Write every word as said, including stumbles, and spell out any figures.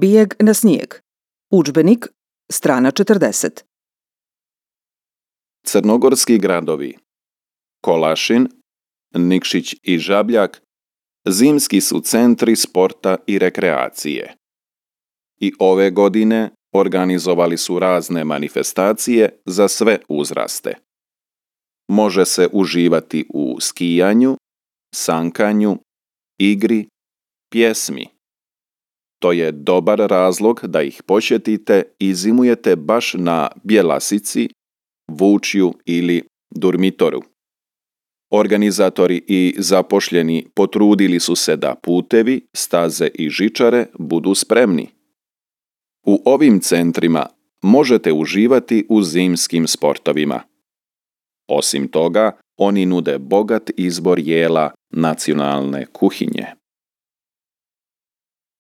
Bijeg na snijeg. Udžbenik, strana četrdeset. Crnogorski gradovi Kolašin, Nikšić i Žabljak zimski su centri sporta i rekreacije. I ove godine organizovali su razne manifestacije za sve uzraste. Može se uživati u skijanju, sankanju, igri, pjesmi. To je dobar razlog da ih posjetite i zimujete baš na Bjelasici, Vučju ili Durmitoru. Organizatori i zapošljeni potrudili su se da putevi, staze i žičare budu spremni. U ovim centrima možete uživati u zimskim sportovima. Osim toga, oni nude bogat izbor jela nacionalne kuhinje.